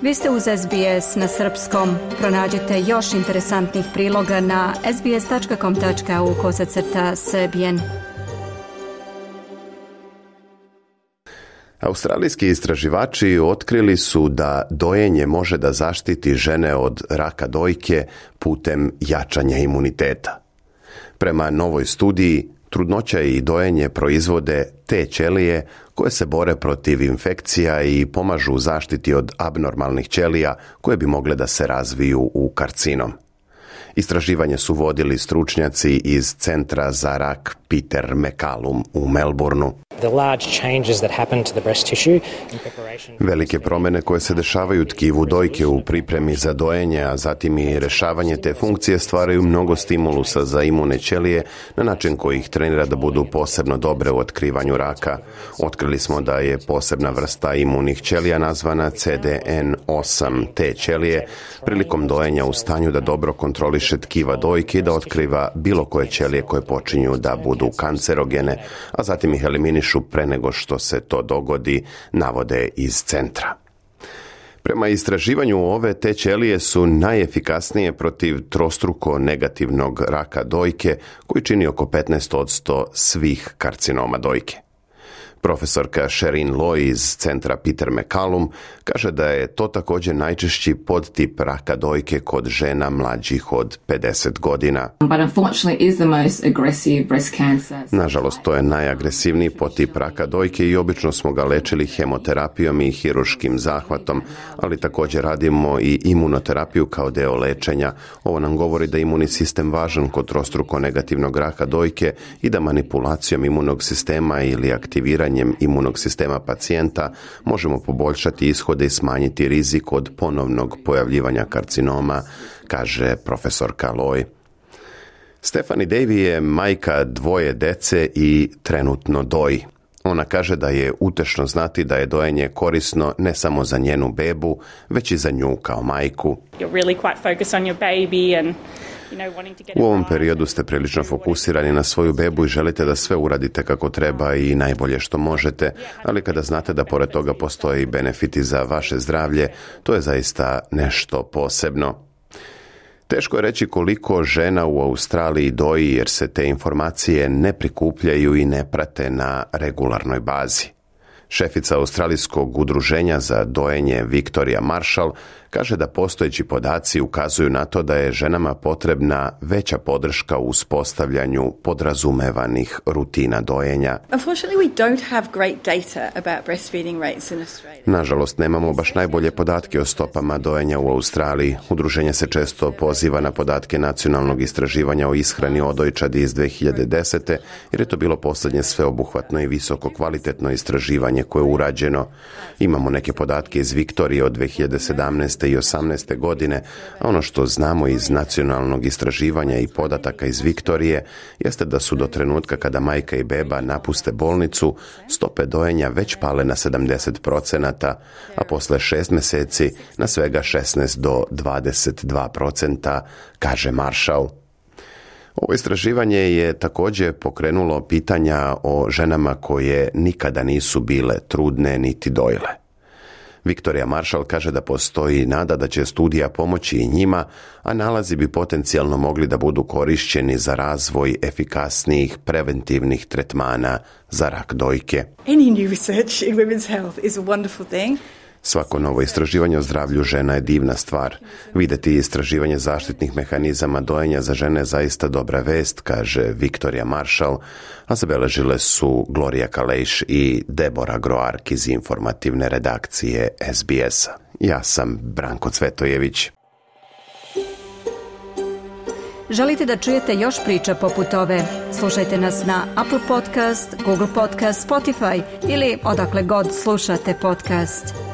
Vi ste uz SBS na srpskom. Pronađite još interesantnih priloga na sbs.com.au/srbijen. Australijski istraživači otkrili su da dojenje može da zaštiti žene od raka dojke putem jačanja imuniteta. Prema novoj studiji, trudnoća i dojenje proizvode te ćelije koje se bore protiv infekcija i pomažu u zaštiti od abnormalnih ćelija koje bi mogle da se razviju u karcinom. Istraživanje su vodili stručnjaci iz Centra za rak Peter MacCallum u Melbourneu. Velike promjene koje se dešavaju tkivu dojke u pripremi za dojenje, a zatim i rešavanje te funkcije stvaraju mnogo stimulusa za imune ćelije na način koji ih trenira da budu posebno dobre u otkrivanju raka. Otkrili smo da je posebna vrsta imunih ćelija nazvana CDN8 te ćelije prilikom dojenja u stanju da dobro kontroliše tkiva dojke i da otkriva bilo koje ćelije koje počinju da budu kancerogene, a zatim ih eliminišu pre nego što se to dogodi, navode iz centra. Prema istraživanju ove te ćelije su najefikasnije protiv trostruko negativnog raka dojke koji čini oko 15% svih karcinoma dojke. Profesorka Sherin Loy iz Centra Peter MacCallum kaže da je to također najčešći podtip raka dojke kod žena mlađih od 50 godina. Nažalost, to je najagresivniji podtip raka dojke i obično smo ga lečili hemoterapijom i hiruškim zahvatom, ali također radimo i imunoterapiju kao deo lečenja. Ovo nam govori da je imunni sistem važan kod trostruko negativnog raka dojke i da manipulacijom imunog sistema ili aktiviranjem imunog sistema pacijenta možemo poboljšati ishode i smanjiti rizik od ponovnog pojavljivanja karcinoma, kaže profesorka Loy. Stephanie Davy je majka 2 dece i trenutno doji. Ona kaže da je utešno znati da je dojenje korisno ne samo za njenu bebu, već i za nju kao majku. U ovom periodu ste prilično fokusirani na svoju bebu i želite da sve uradite kako treba i najbolje što možete, ali kada znate da pored toga postoji benefiti za vaše zdravlje, to je zaista nešto posebno. Teško je reći koliko žena u Australiji doji jer se te informacije ne prikupljaju i ne prate na regularnoj bazi. Šefica Australijskog udruženja za dojenje Victoria Marshall kaže da postojeći podaci ukazuju na to da je ženama potrebna veća podrška u uspostavljanju podrazumevanih rutina dojenja. Nažalost, nemamo baš najbolje podatke o stopama dojenja u Australiji. Udruženje se često poziva na podatke nacionalnog istraživanja o ishrani odojčadi iz 2010. jer je to bilo posljednje sveobuhvatno i visoko kvalitetno istraživanje koje je urađeno. Imamo neke podatke iz Viktorije od 2017. i 2018. godine, a ono što znamo iz nacionalnog istraživanja i podataka iz Viktorije jeste da su do trenutka kada majka i beba napuste bolnicu, stope dojenja već pale na 70%, a posle 6 mjeseci na svega 16 do 22%, kaže Marshall. Ovo istraživanje je također pokrenulo pitanja o ženama koje nikada nisu bile trudne niti dojile. Victoria Marshall kaže da postoji nada da će studija pomoći i njima, a nalazi bi potencijalno mogli da budu korišćeni za razvoj efikasnijih preventivnih tretmana za rak dojke. Svako novo istraživanje o zdravlju žena je divna stvar. Videti istraživanje zaštitnih mehanizama dojenja za žene je zaista dobra vest, kaže Victoria Marshall, a zabeležile su Gloria Kalejš i Debora Groark iz informativne redakcije SBS-a. Ja sam Branko Cvetojević. Želite da čujete još priča poput ove? Slušajte nas na Apple Podcast, Google Podcast, Spotify ili odakle god slušate podcast.